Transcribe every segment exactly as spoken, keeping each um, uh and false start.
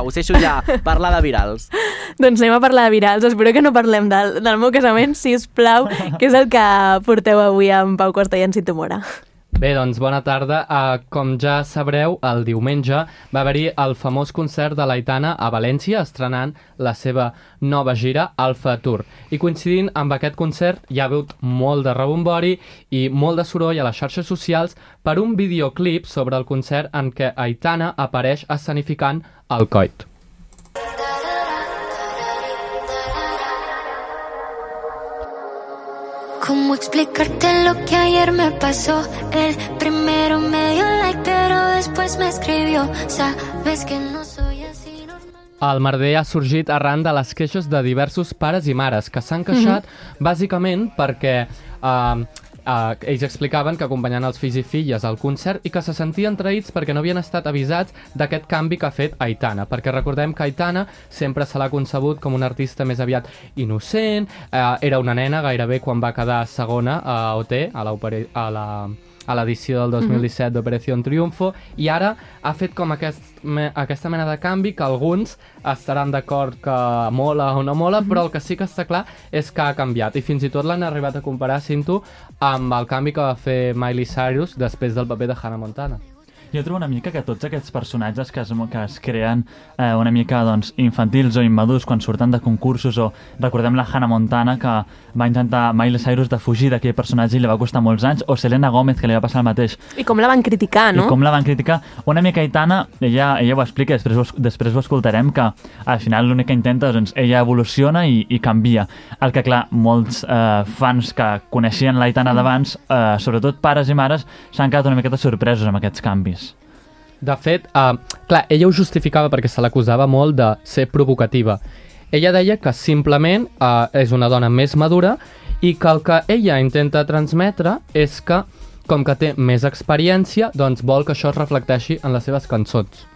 sisplau, us deixo ja parlar de virals. Doncs anem a parlar de virals. Espero que no parlem del, del meu casament, sisplau, que és el que porteu avui amb Pau Costa i en Cito Mora. Bé, doncs bona tarda. Uh, com ja sabreu, el diumenge va haver-hi el famós concert de l'Aitana a València, estrenant la seva nova gira, Alfa Tour. I coincidint amb aquest concert hi ha hagut molt de rebombori i molt de soroll a les xarxes socials per un videoclip sobre el concert en què Aitana apareix escenificant el coit. ¿Cómo explicarte lo que ayer me pasó? El primero me dio like, pero después me escribió. Sabes que no soy así normal. El merder ha sorgit arran de les queixes de diversos pares i mares que s'han queixat mm-hmm. bàsicament perquè uh, uh, ells explicaven que acompanyaven els fills i filles al concert i que se sentien traïts perquè no havien estat avisats d'aquest canvi que ha fet Aitana, perquè recordem que Aitana sempre se l'ha concebut com una artista més aviat innocent, uh, era una nena gairebé quan va quedar segona a O T, a la, a la a l'edició del dos mil disset mm-hmm. d'Operació Triunfo, i ara ha fet com aquest, me, aquesta mena de canvi que alguns estaran d'acord que mola o no mola, mm-hmm. però el que sí que està clar és que ha canviat, i fins i tot l'han arribat a comparar, Cinto, amb el canvi que va fer Miley Cyrus després del paper de Hannah Montana. Jo trobo una mica que tots aquests personatges que es, que es creen eh, una mica doncs, infantils o immadurs quan surten de concursos, o recordem la Hannah Montana que va intentar Miley Cyrus de fugir d'aquell personatge i li va costar molts anys, o Selena Gomez que li va passar el mateix. I com la van criticar, no? I com la van criticar. Una mica Aitana, ella, ella ho explica, després ho, després ho escoltarem, que al final l'únic que intenta, doncs, ella evoluciona i, i canvia. El que, clar, molts eh, fans que coneixien l'Aitana d'abans, eh, sobretot pares i mares, s'han quedat una miqueta sorpresos amb aquests canvis. De fet, uh, clar, ella ho justificava perquè se l'acusava molt de ser provocativa. Ella deia que simplement uh, és una dona més madura i que el que ella intenta transmetre és que, com que té més experiència, doncs vol que això es reflecteixi en les seves cançons.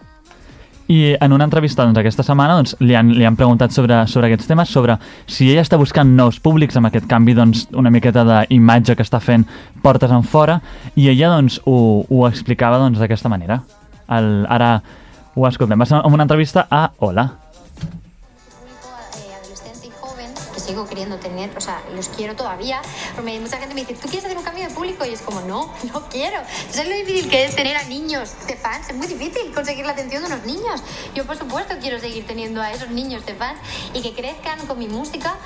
I en una entrevista doncs, aquesta setmana doncs, li, han, li han preguntat sobre, sobre aquests temes, sobre si ella està buscant nous públics amb aquest canvi, doncs, una miqueta d'imatge que està fent portes en fora, i ella doncs, ho, ho explicava doncs, d'aquesta manera. El, ara ho escoltem. Va ser una entrevista a Hola. Sigo queriendo tener, o sea, los quiero todavía, pero mucha gente me dice, ¿tú quieres hacer un cambio de público? Y es como, no, no quiero. ¿Sabes lo difícil que es tener a niños de fans? Es muy difícil conseguir la atención de unos niños. Yo, por supuesto, quiero seguir teniendo a esos niños de fans y que crezcan con mi música.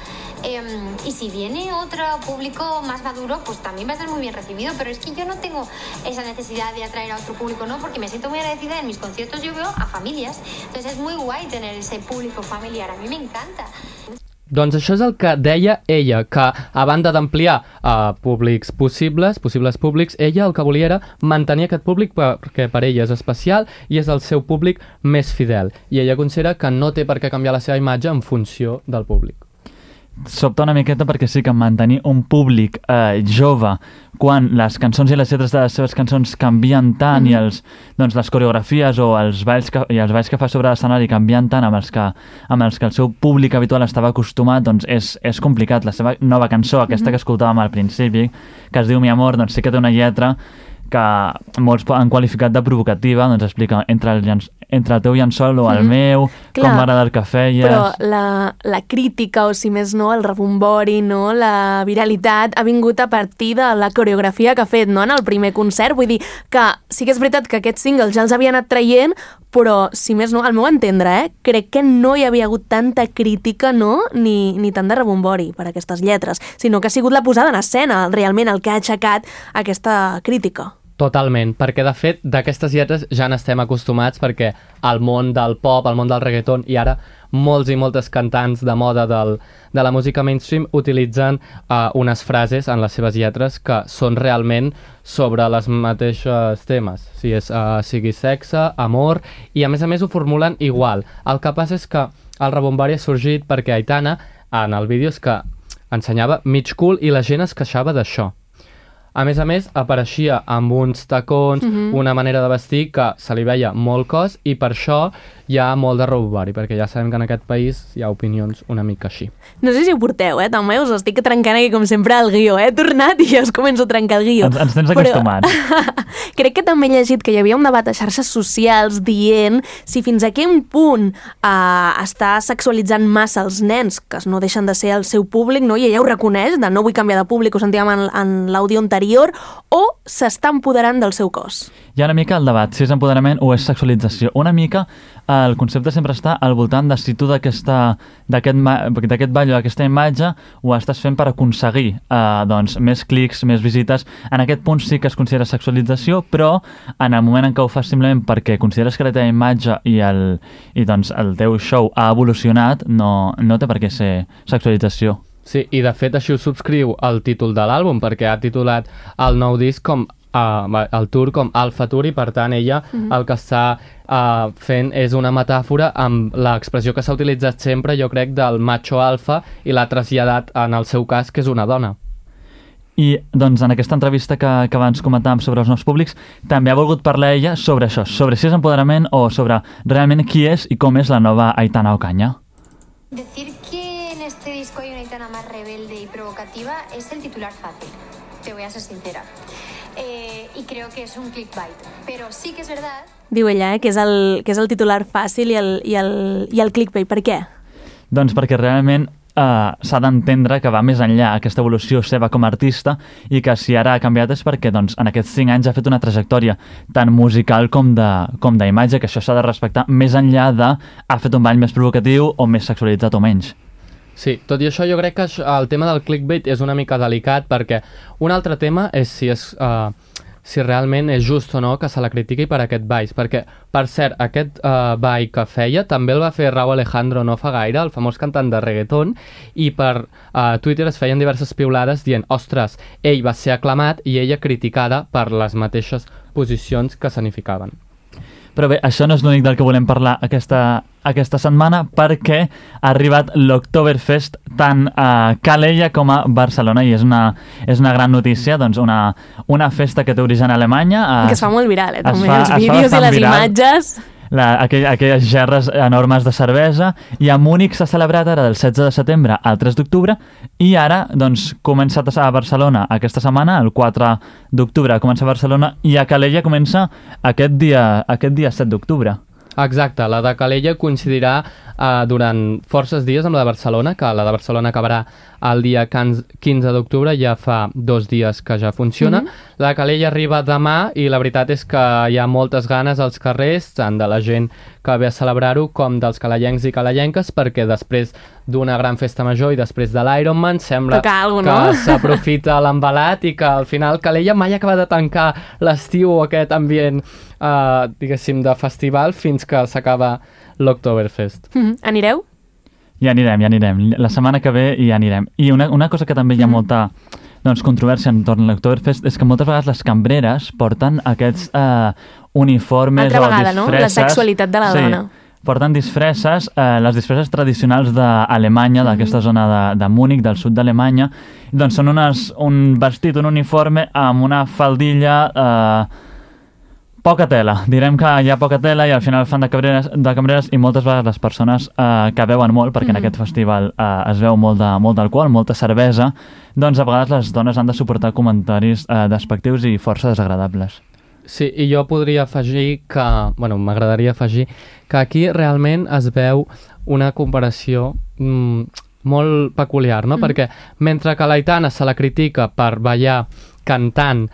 Eh, y si viene otro público más maduro, pues también va a ser muy bien recibido, pero es que yo no tengo esa necesidad de atraer a otro público, ¿no? Porque me siento muy agradecida. En mis conciertos yo veo a familias, entonces es muy guay tener ese público familiar. A mí me encanta. Doncs això és el que deia ella, que a banda d'ampliar uh, públics possibles, possibles públics, ella el que volia era mantenir aquest públic perquè per ella és especial i és el seu públic més fidel. I ella considera que no té per què canviar la seva imatge en funció del públic. Sobta una miqueta perquè sí que mantenir un públic eh, jove quan les cançons i les lletres de les seves cançons canvien tant mm. i els, doncs, les coreografies o els balls que, i els balls que fa sobre l'escenari canvien tant amb els, que, amb els que el seu públic habitual estava acostumat, doncs és, és complicat. La seva nova cançó, aquesta mm-hmm. que escoltàvem al principi, que es diu Mi Amor, doncs sí que té una lletra que molts han qualificat de provocativa, doncs explica entre el, llenç, entre el teu llençol o el mm. meu, clar, com m'agrada el que feies... Però la, la crítica, o si més no, el rebombori, no, la viralitat, ha vingut a partir de la coreografia que ha fet, no?, en el primer concert. Vull dir que sí que és veritat que aquests singles ja els havia anat traient, però, si més no, al meu entendre, eh, crec que no hi havia hagut tanta crítica, no?, ni, ni tant de rebombori per aquestes lletres, sinó que ha sigut la posada en escena, realment, el que ha aixecat aquesta crítica. Totalment, perquè de fet d'aquestes lletres ja n'estem acostumats perquè al món del pop, al món del reggaeton i ara molts i moltes cantants de moda del, de la música mainstream utilitzen uh, unes frases en les seves lletres que són realment sobre les mateixes temes, si és, uh, sigui sexe, amor, i a més a més ho formulen igual. El que passa és que el rebombori ha sorgit perquè Aitana en el vídeo és que ensenyava mig cul i la gent es queixava d'això. A més a més, apareixia amb uns tacons, Mhm. una manera de vestir que se li veia molt cos i per això hi ha molt de robovari, perquè ja sabem que en aquest país hi ha opinions una mica així. No sé si ho porteu, eh? També us estic trencant aquí, com sempre, el guió. He tornat i ja us començo a trencar el guió. Ens, ens tens Però acostumats. crec que també he llegit que hi havia un debat a xarxes socials dient si fins a quin punt eh, està sexualitzant massa els nens, que no deixen de ser el seu públic, no? I ella ho reconeix, de no vull canviar de públic, ho sentíem en, en l'àudio anterior, o s'està empoderant del seu cos. Hi ha una mica el debat, si és empoderament o és sexualització. Una mica eh, el concepte sempre està al voltant de si tu d'aquesta- d'aquest ma- d'aquest ball o d'aquesta imatge ho estàs fent per aconseguir eh, doncs, més clics, més visites. En aquest punt sí que es considera sexualització, però en el moment en què ho fas simplement perquè consideres que la teva imatge i el, i, doncs, el teu show ha evolucionat, no, no té per què ser sexualització. Sí, i de fet així ho subscriu el títol de l'àlbum, perquè ha titulat el nou disc com uh, el tour com Alpha Tour, i per tant ella mm-hmm. el que està uh, fent és una metàfora amb l'expressió que s'ha utilitzat sempre, jo crec, del macho alfa, i l'ha traslladat en el seu cas, que és una dona. I doncs en aquesta entrevista que, que abans comentàvem sobre els nous públics, també ha volgut parlar ella sobre això, sobre si és empoderament o sobre realment qui és i com és la nova Aitana Ocaña. Decir que en este disco hay una Aitana más rebelde y provocativa es el titular fácil, te voy a ser sincera. Eh, y creo que es un clickbait, pero sí que es verdad... Diu ella, eh, que és el, que és el titular fàcil i el, i el, i el clickbait. Per què? Doncs perquè realment uh, s'ha d'entendre que va més enllà aquesta evolució seva com a artista i que si ara ha canviat és perquè doncs, en aquests cinc anys ha fet una trajectòria tant musical com de com d'imatge, que això s'ha de respectar més enllà de ha fet un ball més provocatiu o més sexualitzat o menys. Sí, tot i això jo crec que el tema del clickbait és una mica delicat, perquè un altre tema és si és... Uh, si realment és just o no que se la critiqui per aquest ball, perquè, per cert, aquest uh, ball que feia també el va fer Rauw Alejandro no fa gaire, el famós cantant de reggaeton, i per uh, Twitter es feien diverses piulades dient, ostres, ell va ser aclamat i ella criticada per les mateixes posicions que significaven. Però bé, això no és l'únic del que volem parlar aquesta, aquesta setmana, perquè ha arribat l'Oktoberfest tant a Calella com a Barcelona, i és una, és una gran notícia, doncs una, una festa que té origen a Alemanya. Es, que es fa molt viral, eh, també, fa, els vídeos i les viral. imatges... La, aquell, aquelles gerres enormes de cervesa, i a Múnich s'ha celebrat ara del setze de setembre al tres d'octubre, i ara doncs comença a Barcelona aquesta setmana, el quatre d'octubre comença a Barcelona, i a Calella comença aquest dia, aquest dia set d'octubre. Exacte, la de Calella coincidirà uh, durant forces dies amb la de Barcelona, que la de Barcelona acabarà el dia quinze d'octubre, ja fa dos dies que ja funciona. Mm-hmm. La de Calella arriba demà i la veritat és que hi ha moltes ganes als carrers, tant de la gent que ve a celebrar-ho com dels calellencs i calellenques, perquè després d'una gran festa major i després de l'Ironman sembla algo, que no? s'aprofita l'embalat i que al final Calella mai acaba de tancar l'estiu o aquest ambient uh, diguéssim de festival fins que s'acaba l'Oktoberfest. Mm-hmm. Anireu? Ja anirem, ja anirem. La setmana que ve ja anirem. I una, una cosa que també hi ha molta doncs, controvèrsia entorn a l'Oktoberfest és que moltes vegades les cambreres porten aquests eh, uniformes Altra o vegada, disfresses. no? La sexualitat de la sí, dona. Porten disfresses, eh, les disfresses tradicionals d'Alemanya, mm-hmm. d'aquesta zona de, de Múnich, del sud d'Alemanya. Doncs són unes, un vestit, un uniforme amb una faldilla... Eh, poca tela, direm que hi ha poca tela i al final fan de cambreres, de cambreres i moltes vegades les persones eh, que beuen molt, perquè mm. en aquest festival eh, es veu molt de, molt d'alcohol, molta cervesa, doncs a vegades les dones han de suportar comentaris eh, despectius i força desagradables. Sí, i jo podria afegir que, bueno, m'agradaria afegir que aquí realment es veu una comparació mm, molt peculiar, no? Mm. Perquè mentre que l'Aitana se la critica per ballar cantant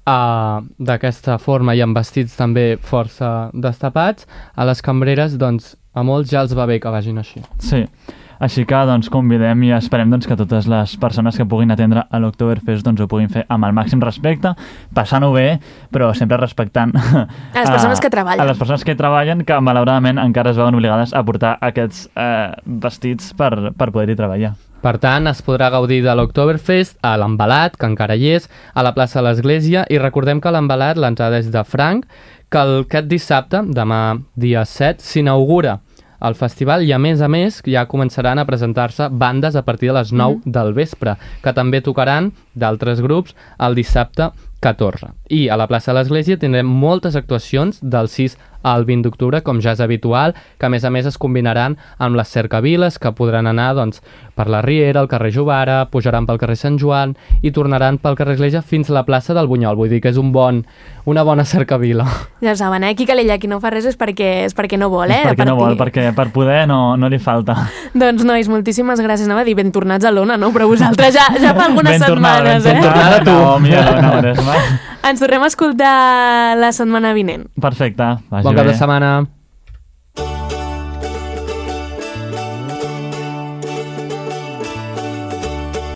Uh, d'aquesta forma i amb vestits també força destapats, a les cambreres doncs a molts ja els va bé que vagin així. Sí, així que doncs convidem i esperem doncs, que totes les persones que puguin atendre a l'Oktoberfest doncs, ho puguin fer amb el màxim respecte, passant-ho bé, però sempre respectant a les persones que treballen. A les persones que treballen, que malauradament encara es veuen obligades a portar aquests eh, vestits per, per poder-hi treballar. Per tant, es podrà gaudir de l'Oktoberfest a l'Embalat, que encara hi és, a la plaça de l'Església, i recordem que l'Embalat, l'entrada és de franc, que el, aquest dissabte, demà dia set, s'inaugura al festival i, a més a més, ja començaran a presentar-se bandes a partir de les nou mm. del vespre, que també tocaran d'altres grups el dissabte catorze. I a la plaça de l'Església tindrem moltes actuacions del sis al vint d'octubre, com ja és habitual, que a més a més es combinaran amb les cercaviles, que podran anar doncs, per la Riera, el carrer Jovara, pujaran pel carrer Sant Joan i tornaran pel carrer Església fins a la plaça del Bunyol. Vull dir que és un bon, una bona cercavila. Ja saben, eh? Qui calella, qui no fa res és perquè, és perquè no vol, eh? És perquè no vol, perquè per poder no, no li falta. Doncs, nois, moltíssimes gràcies. Anava a dir ben tornats a l'Ona, no? Però vosaltres ja, ja fa algunes ben setmanes, tornada, eh? Ben tornada tu. No, millor no, no, no, Ens tornem a escoltar la setmana vinent. Perfecte. Bon cap de setmana.